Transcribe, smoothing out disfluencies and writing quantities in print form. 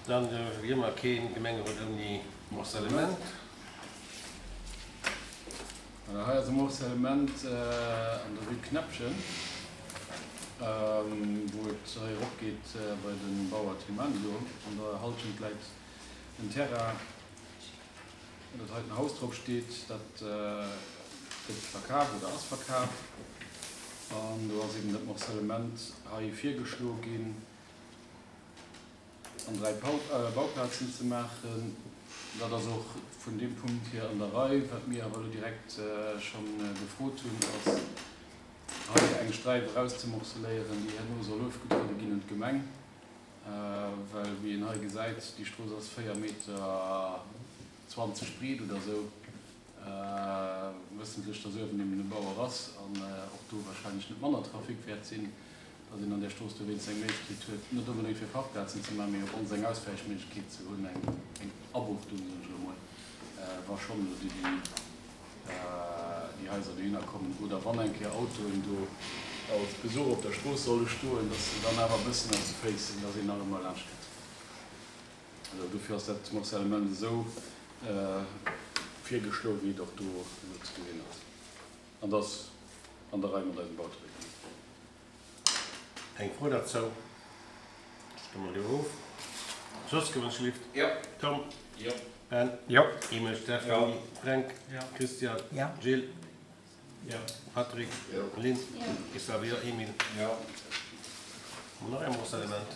Dann wéi ëmmer kee Gemengerot ouni Morcellement. Voilà, hei ass e Morcellement an der Rue Kneppchen, wou et hei erop geet bei de Bauer Thilmany do. An der Halschent läit en Terrain, wou dat heiten Haus drop steet. Dat gëtt verkaf oder ass verkaf. An do ass eben dat Morcellement hei virgeschloe ginn. An 3 Bauplazen ze maachen. Dat ass och vun deem Punkt hier an der Rei. Wat mir awer elo direkt scho gefrot hunn, ass hei eng Sträif erauszemorceléieren, déi herno soll ofgetruede ginn un d'Gemeng. Well, wéi een hei gesäit, déi Strooss ass 4 Meter 20 breet oder esou, wëssentlech, dass uewen eben e Bauer ass an och do wahrscheinlech net manner Trafic wäert sinn, dass een an där Strooss dowéinst eng Méiglechkeet huet, net onbedéngt fir Parkplazen ze maachen, mee op ons eng Auswäichméiglechkeet ze hunn, eng Abuchtung, soen ech elo mol, wa schonn elo déi déi Haiser dohinner kommen oder wann eng Kéier Autoen do als Besuch op der Strooss solle stoen, dass se dann awer e bëssen op de Féiss sinn, dass een nach ëmmer laanscht kënnt. Also dofir ass dat Morcellement esou virgeschloen, wéi et och do elo ze gesinn ass. An dat ass an der Rei mat eisem Bautereglement. Eng Fro derzou? Stëmme mer do of. Jos, gewënschlift? Jo. Tom? Jo. Ben? Jo. Emil, Stéphanie? Fränk? Christian? Gilles? Jo. Patrick? Jo. Lynn? Jo. Xavier? Emile? Jo. Hu mer nach e Morcellement?